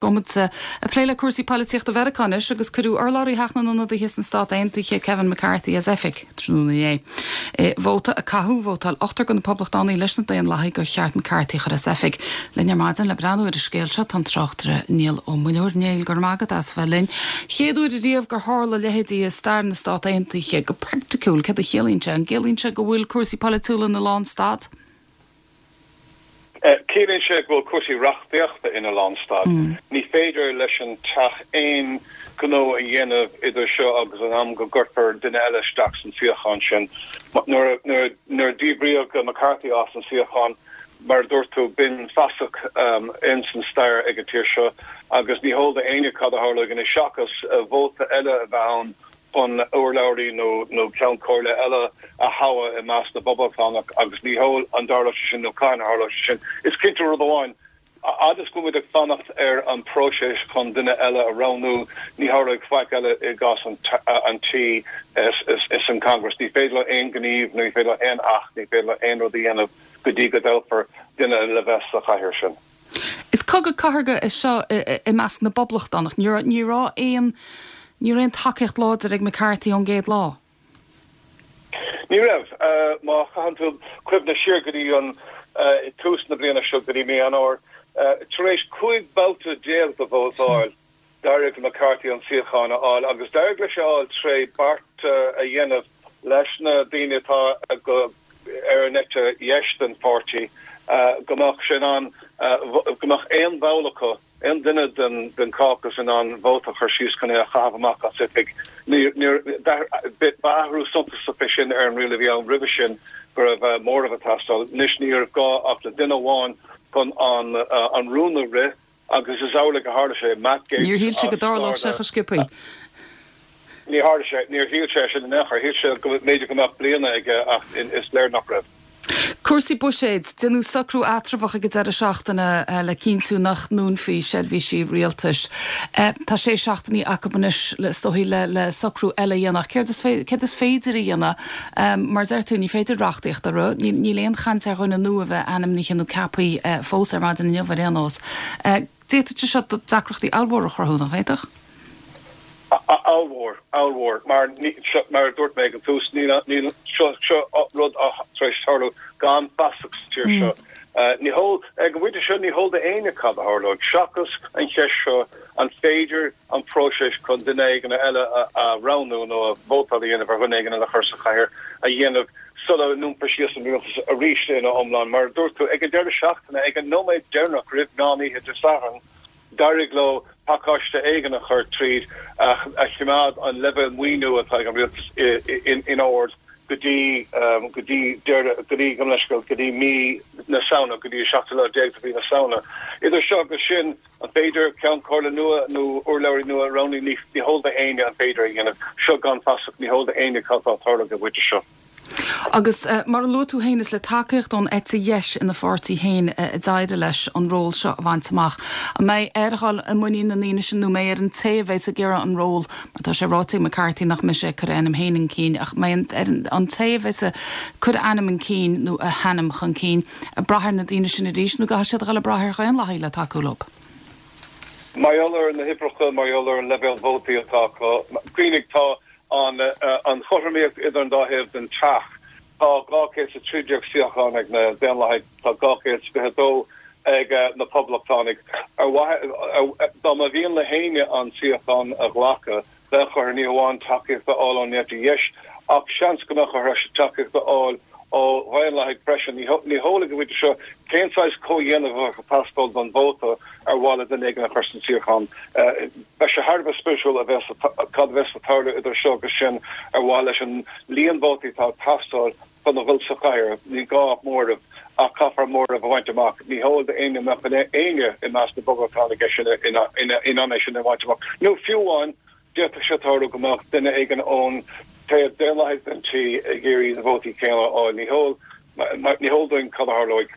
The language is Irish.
Gabhfaidh muid ag plé le cúrsaí poilitíochta Mheiriceá anois agus cuireadh urlabhraí Theach na nIonadaithe sna Stát Aontaithe, Kevin McCarthy, as oifig tráthnóna inné. I vóta a caitheadh, vótáil ochtar de na Poblachtánaigh leis na Daonlathaigh gur cheart McCarthy a chur as oifig. Linn ar maidin le breathnú ar an scéal seo tá an tráchtaire Niall Ó Muilleoir. Niall, go raibh maith agat as bheith linn. Chéad uair ariamh gur tharla a leithéidí i stair na Stát Aontaithe. Go praiticiúil, céard a chiallaíonn sé? An gciallaíonn sé go bhfuil cúrsaí polaitiúla ina lánstad? Ciallaíonn sé go bhfuil cúrsaí reachtaíochta ina lánstad. Ní féidir leis an Teach aon ghnó a dhéanamh idir seo agus an am go gcuirfear duine eile isteach san suíochán sin. Nuair a díbríodh McCarthy as an suíochán, mar a dúirt tú, b'in fasach ins an stair ag an tír seo agus ní heol d'éinne cad a tharlóidh anois seachas vóta eile a bheith ann chun urlabhraí nó ceann comhairle eile a thoghadh i measc na bPoblachtánach agus ní heol an dtarlóidh sé sin nó cathain a tharlóidh sé sin. Is cinnte rud amháin, a fhad is go bhfuil muid ag fanacht ar an bpróiseas chun duine eile a roghnú, ní tharlóidh faic eile i gcás an tí is an Congress. Ní féidir leo aon ghníomh, ní féidir leo aon acht, ní féidir leo aon rud a dhéanamh go dtí go dtoghfar duine le bheith sa chathaoir sin. Is cogadh cathartha é seo i measc na bPoblachtánach. Ní raibh ní raibh aon ní raibh aon tacaíocht láidir ag McCarthy ón gcéad lá. Ní raibh. Má chaitheann tú cuimhne siar go dtí an tús na bliana seo, go dtí mí Eanáir, tar éis 15 babhta de vótáil, D'éirigh le McCarthy an suíochán a fháil agus d'éirigh leis é a fháil tré beart a dhéanamh leis na daoine atá ar an eite dheis den pháirtí go mbeadh sé in ann, go mbeadh aon bhall acu, aon duine den caucus in ann vóta a chur síos chun é a chaitheamh amach as oifig. Ba athrú suntasach é sin ar an riail a bhí ann roimhe sin go raibh móramh ag teastáil. Anois ní raibh gá ach le duine amháin chun an rún a rith. Agus is amhlaidh a tharla sé. Matt Gaetz Níor shíl sé go dtarlódh sé chomh sciobthaí. Ní tharla sé. Níor shíl sé sin in aon chor. Shíl sé go mb'fhéidir go mbeadh bliana aige ach is léir nach raibh. Cúrsaí buiséid, Déanadh socrú eatramhach ag an deireadh seachtaine le cinntiú nach ndúnfaí seirbhísí rialtais. Tá sé seachtainí acu anois, is dóigh, le socrú eile a dhéanamh. Ach céard is féidir a dhéanamh? Mar a deir tú, ní féidir reachtaíocht a rith. Níl aon chaint ar dhuine nua a bheith ainmnithe nó ceaptha fós ar maidin inniu ar aon nós. D'fhéadfadh sé seo deacrachtaí ollmhóra a chruthú, nach bhféadfadh? Ollmhór, ollmhór. Mar, mar a dúirt mé ag an tús, níl, níl, seo, seo rud atá tar éis tarlú gan fasach sa tír seo. Ní heol, ag an bpointe seo, ní heol d'éinne cad a tharlóidh, seachas an cheist seo, an féidir an próiseas chun duine éigin eile a roghnú nó vótáil a dhéanamh ar dhuine éigin eile a chur sa chathaoir a dhéanamh sula ndúnfar síos an rialtas arís ina iomlán. Mar a dúirt tú, ag an deireadh seachtaine, ag an nóiméad deireanach roimh mheán oíche Dé Sathairn, d'éirigh leo pacáiste éigin a chur tríd a choimeád an leibhéal maoiniú atá ag an rialtas in ord go dtí go dtí deireadh go dtí gabh mo leithscéal go dtí mí na Samhna, go dtí an seachtú lá déag de mhí na Samhna. Idir seo agus sin, An féidir Ceann Comhairle nua nó urlabhraí nua a roghnú? Ní heol d'éinne an féidir a dhéanamh. Seo gan fasach, ní heol d'éinne cad atá ag tarlú ag an bpointe seo. Agus mar a luaigh tú féin, is le tacaíocht ón eite dheis ina pháirtí féin a d'éirigh leis an ról seo a bhaint amach. An mbeidh air a dhul i muinín na ndaoine sin nó an mbeidh ar an té a bheas ag iarraidh an ról, mar tá sé ráite ag McCarthy nach mbeidh sé ag cur a ainm féin chun cinn, ach an mbeidh ar an té a bheas ag cur a ainm chun cinn nó a hainm chun cinn, ag brath ar na daoine sin arís nó an gcaithfidh siad a dhul ag brath ar Dhaonlathaigh le tacú leo? Mar gheall ar na huimhreacha, mar gheall ar an leibhéal vótaí atá acu, cuimhnigh, tá an chothromaíocht idir an dá thaobh den teach, tá 213 suíochán ag na Daonlathaigh, tá 222 ag na Poblachtánaigh. Ar mhaithe, dá mba mhian le héinne an suíochán a ghlacadh, Bheadh orthu ní hamháin tacaíocht a fháil ón eite dheis, ach seans go mbeadh orthu tacaíocht a fháil ó Dhaonlathaigh freisin. Ní heol ag an bpointe seo cén saghas comhdhéanamh a bheadh ag teastáil don vóta ar mhaith le duine éigin a chur san suíochán. Beidh sé thar a bheith spéisiúil a bheas cad a bheas ag tarlú idir seo agus sin ar mhaith leis an líon vótaí atá ag teastáil chun a dhul sa chathaoir. Ní gá ach móramh, ach caithfear móramh a bhaint amach. Ní heol d'éinne an mbeadh éinne i measc na bPoblachtánach é sin in ann é sin a bhaint amach. Nó fiú amháin, d'fhéadfadh sé tarlú go mbeadh duine éigin ón taobh Daonlathaigh den tí ag iarraidh na vótaí céanna a fháil. Ní heol, ní heol dúinn cad a tharlóidh.